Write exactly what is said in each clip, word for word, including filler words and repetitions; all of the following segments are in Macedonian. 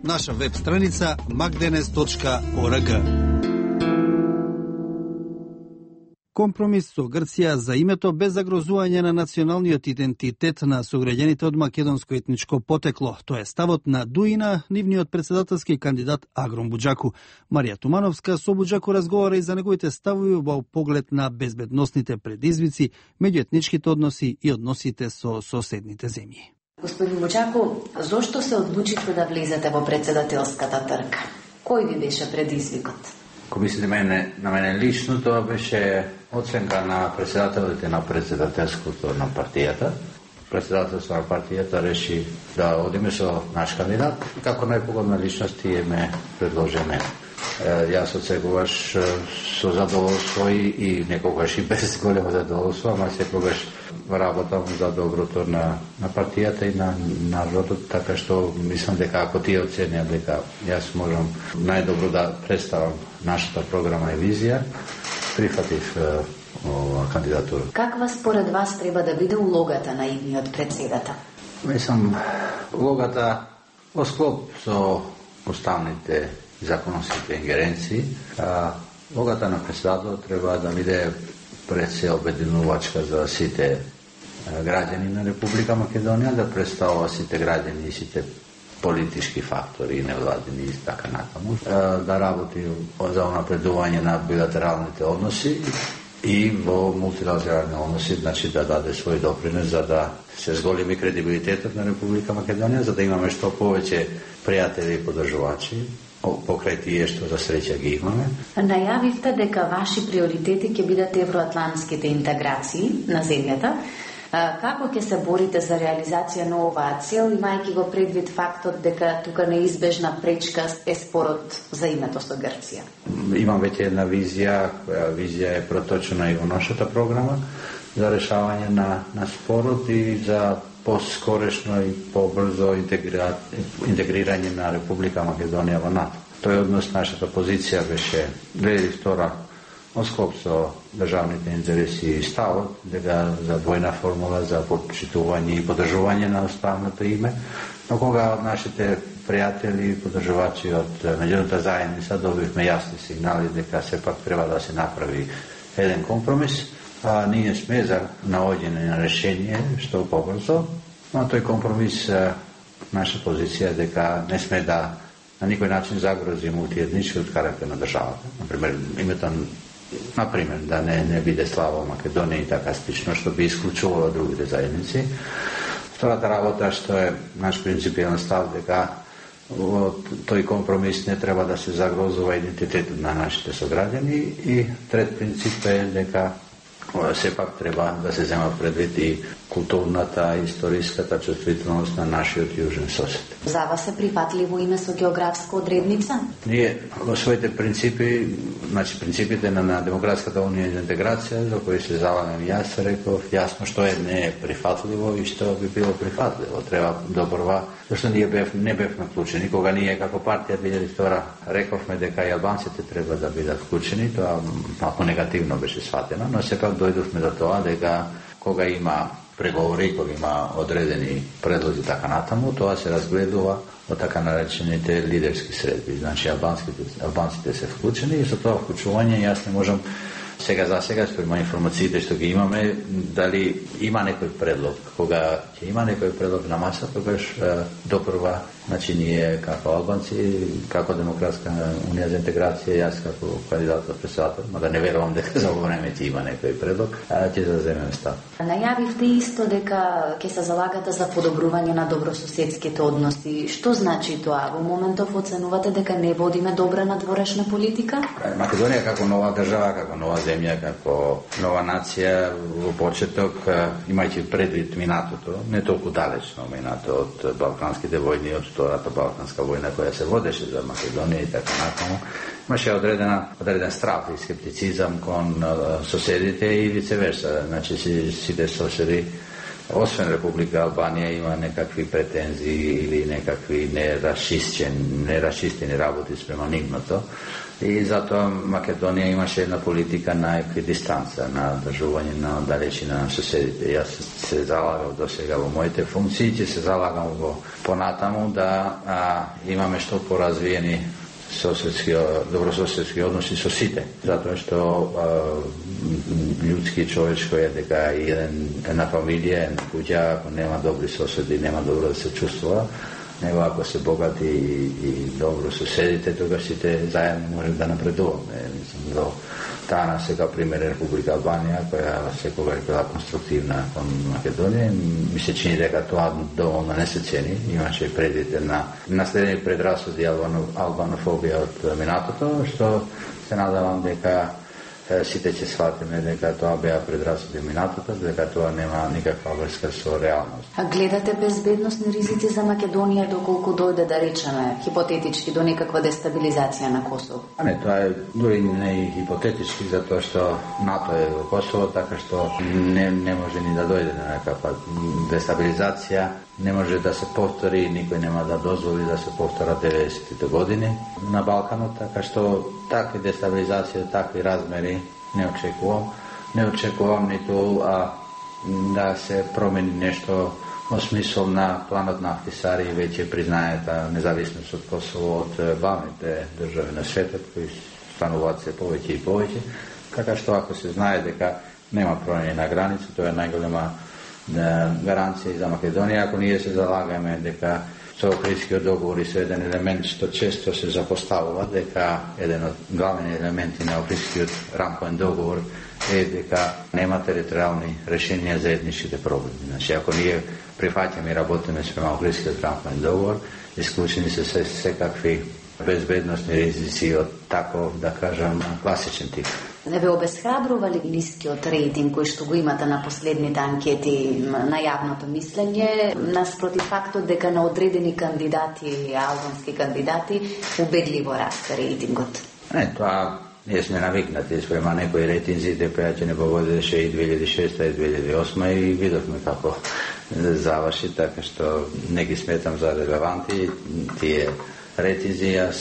наша веб страница макденес точка орг. Компромис со Грција за името без загрозување на националниот идентитет на сограѓаните од македонско етничко потекло. Тоа е ставот на Дуина, нивниот председателски кандидат Агром Буџаку. Марија Тумановска со Буџаку разговара и за неговите ставови во поглед на безбедносните предизвици, меѓуетничките односи и односите со соседните земји. Господин Буџаку, зошто се одлучите да влезете во председателската трка? Кој ви беше предизвикот? Ако мислите мене, на мене лично, тоа беше оценка на председателите на председателското на партијата. Председателството на партијата реши да одиме со наш кандидат. Како најпогодна личност тие ме предложи мене. Јас отсекогаш со задоволство и, и некогаш и без големо задоволство, ама секогаш работам за доброто на, на партијата и на народот, така што мислам дека ако тие оценија дека јас можам најдобро да представам нашата програма и визија, прифатив ова кандидатура. Каква според вас треба да биде улогата на идниот председател? Мислам, улогата во склоп со уставните законските ингеренции, а улогата на председател треба да биде пред се обединувачка за сите граѓани на Република Македонија, да представува сите граѓани и сите политички фактори, невладини и така натаму, да работи за унапредување на билатералните односи и во мултилатерални односи, значи да даде свој допринос за да се зголеми кредибилитетот на Република Македонија, за да имаме што повеќе пријатели и подржувачи покрај тие што за среќа ги имаме. Најавивте дека ваши приоритети ќе бидат евроатлантските интеграции на земјата. Како ќе се борите за реализација на оваа цел, имајќи го предвид фактот дека тука неизбежна пречка е спорот за името со Грција? Имам веќе една визија, која визија е проточена и во нашата програма за решавање на, на спорот и за поскорешно и побрзо интегрира, интегрирање на Република Македонија во НАТО. Тој однос нашата позиција беше две илјади и втора во склоп со државните интереси и ставот дека за двојна формула за почитување и поддржување на уставното име, но кога од нашите пријатели и поддржувачи од меѓународната заедница добивме јасни сигнали дека сепак треба да се направи еден компромис, а ние сме за наоѓање на решение што побрзо, но тој компромис, наша позиција е дека не сме да на никој начин загрози мултиетничкиот карактер на државата. Например, името Например, да не, не биде слаба Македонија и така слично, што би исклучувало другите заедници. Втората работа, што е наш принципијален став, дека тој компромис не треба да се загрозува идентитетот на нашите сограѓани, и трет принцип е дека сепак треба да се зема предвид и културната, историската чувствителност на нашиот јужен сосед. За вас е прифатливо име со географска одредница? Ние во своите принципи, значи принципите на, на Демократската унија за интеграција, за кои се залагам јас, реков јасно што е не е прифатливо и што би било прифатливо. Треба добрва, зашто ние бев, не бевме вклучени. Кога ние како партија две илјади и втора рековме дека и албанците треба да бидат вклучени, тоа малку негативно беше сватено, но сепак дојдовме до тоа дека кога има преговори, кога има одредени предлози така натаму, тоа се разгледува во така наречените лидерски средби. Значи албанците, албанците се вклучени и со тоа вклучување јас не можам сега за сега, спрема информациите што ги имаме, дали има некој предлог. Кога ќе има некој предлог на маса, тогаш допрва, значи ние како албанци, како Демократска унија за интеграција, јас како кандидат за председател, мада не верувам дека за време ќе има некој предлог, ќе заземеме став. Најавивте исто дека ќе се залагате за подобрување на добрососедските односи. Што значи тоа? Во моментов оценувате дека не водиме добра надворешна политика? Македонија како нова држава, како нова земја, како нова нација во почеток, имајќи предвид минатото, не толку далечно минато од балканските војни, од Втората балканска војна која се водеше за Македонија и така натаму, имаше одредена одреден страх и скептицизам кон соседите и вице верса. Значи сите соседи освен Република Албанија има некакви претензии или некакви нерашистени, нерашистени работи спрема нивното. И затоа Македонија имаше една политика на еквидистанца, на држување на далечина на соседите. Јас се залагав до сега во моите функции, ќе се залагам во понатаму да а, имаме што поразвиени соседски, добрососедски односи со сите. Затоа што а, ljudski човечко е дека еден, една фамилија, една куќа, ако нема добри соседи, нема добро да се чувствува, него ако се богати и, и добро соседите, тогаш сите заедно може да напредуваме. Мислам, до таа сега пример е Република Албанија, која секогаш била конструктивна кон Македонија. Ми се чини дека тоа доволно не се цени. Имаше предите на наследени предрасуди и албанофобија од минатото, што се надавам дека сите ќе сватиме дека тоа беа предрасуди минатото, дека тоа нема никаква врска со реалност. А гледате безбедносни ризици за Македонија доколку дојде, да речеме, хипотетички до некаква дестабилизација на Косово? А не, тоа е дури не и хипотетички, затоа што НАТО е во Косово, така што не, не може ни да дојде на некаква дестабилизација, не може да се повтори, никој нема да дозволи да се повторат деветдесетите години на Балканот, така што такви дестабилизација, такви размери не очекувам. Не очекувам ниту а, да се промени нешто во смисол на планот на Ахтисари, веќе признаета независност од Косово од главните држави на светот, кои стануваат се повеќе и повеќе, така што ако се знае дека нема промени на граница, тоа е најголема гаранција и за Македонија. Ако ние се залагаме дека со Охридскиот договор и со еден елемент што често се запоставува, дека еден од главни елементи на Охридскиот рамковен договор е дека нема територијални решенија за етничките проблеми. Значи, ако ние прифаќаме и работиме спрема Охридскиот рамковен договор, исклучени се се секакви безбедносни ризици од таков, да кажам, класичен тип. Не ве обесхрабрува ли нискиот рейтинг кој што го имате на последните анкети на јавното мислење, наспроти фактот дека на одредени кандидати, албански кандидати, убедливо расте рейтингот? Не, тоа ние сме навикнати спрема некои рейтинзи, дека ќе не погодеше и две илјади и шеста и две илјади и осма и видовме како заврши, така што не ги сметам за релеванти тие рейтинзи. Јас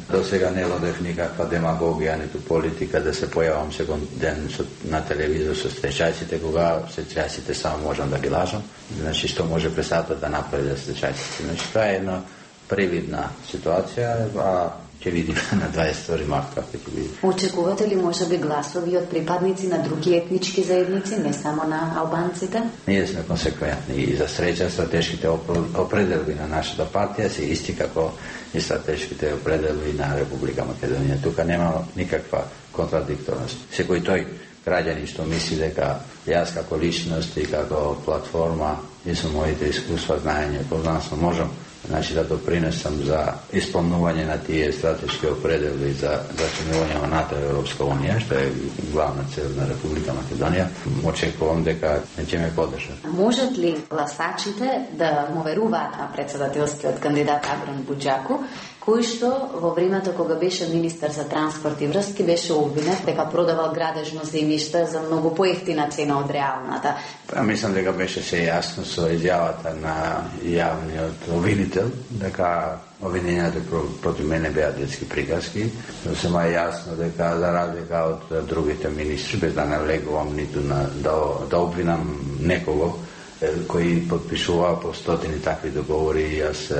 до сега не водев никаква демагогија, ниту политика да се појавам секој ден на телевизор со стечајците, кога стечајците само можам да ги лажам. Значи, што може пресатот да направи за стечајците. Значи, тоа е една привидна ситуација, а ќе видиме на дваесет и втори март како ќе биде. Очекувате ли можеби гласови од припадници на други етнички заедници, не само на албанците? Ние сме консеквентни и за среќа стратешките определби на нашата партија се исти како и стратешките определби на Република Македонија. Тука нема никаква контрадикторност. Секој тој граѓани што мисли дека јас како личност и како платформа и со моите искуства, знаење, познанство можам, значи да допринесам за исполнување на тие стратешки определби за зачинување на НАТО и Европска Унија, што е главна цел на Република Македонија, очекувам дека ќе ме поддржат. Можат ли гласачите да му веруваат на председателскиот кандидат Агран Буџаку, кој што во времето кога беше министер за транспорт и врски беше обвинет дека продавал градежно земјиште за многу поевтина цена од реалната? Па мислам дека беше се јасно со изјавата на јавниот обвинител дека обвиненијата против мене беа детски приказки. Но се ма јасно дека за разлика од другите министри, без да навлегувам ниту на да, да обвинам некого кој подпишува по стотини такви договори, јас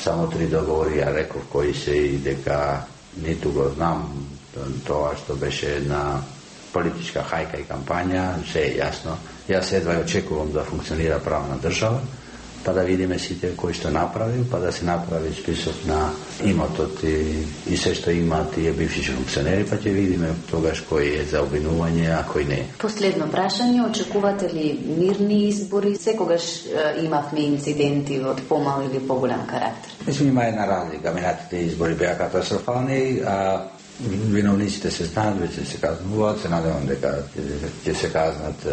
само три договори ја реков кои се и дека ниту го знам тоа што беше една политичка хајка и кампања, се е јасно. Јас едва очекувам да функционира правна држава, па да видиме сите кој што направи, па да се направи список на имотот и, и се што имаат тие бивши функционери, па ќе видиме тогаш кој е за обвинување, а кој не. Последно прашање, очекувате ли мирни избори? Секогаш е, имавме инциденти од помал или поголем карактер. Мислам, има една разлика. Минатите избори беа катастрофални, а виновниците се знаат, веќе се казнуваат, се надевам дека ќе се казнат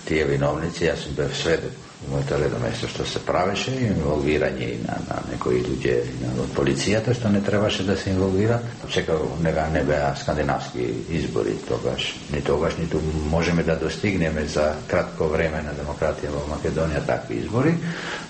тие виновници. Јас сум бев сведок моето редно место што се правеше, инволвирање и на, на некои луѓе од полицијата што не требаше да се инволвира. Секако нега не беа скандинавски избори тогаш. Ни тогаш ниту можеме да достигнеме за кратко време на демократија во Македонија такви избори,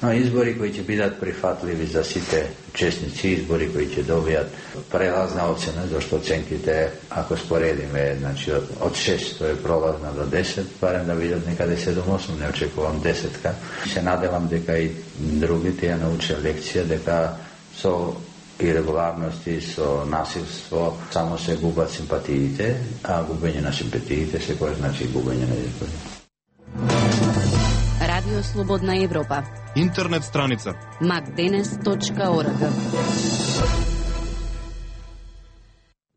но избори кои ќе бидат прифатливи за сите учесници, избори кои ќе добијат прелазна оцена, зашто оценките, ако споредиме, значи од, од шест е пролазна до десет, барем да видат некаде седум-осум, не очекувам десетка. Се надевам дека и другите ја научат лекција, дека со ирегуларности, со насилство само се губат симпатиите, а губење на симпатиите секој значи губење на избори. Радио Слободна Европа. Интернет страница макденес точка орг.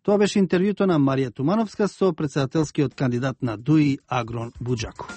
Тоа беше интервјуто на Марија Тумановска со претседателскиот кандидат на ДУИ Агрон Буџаков.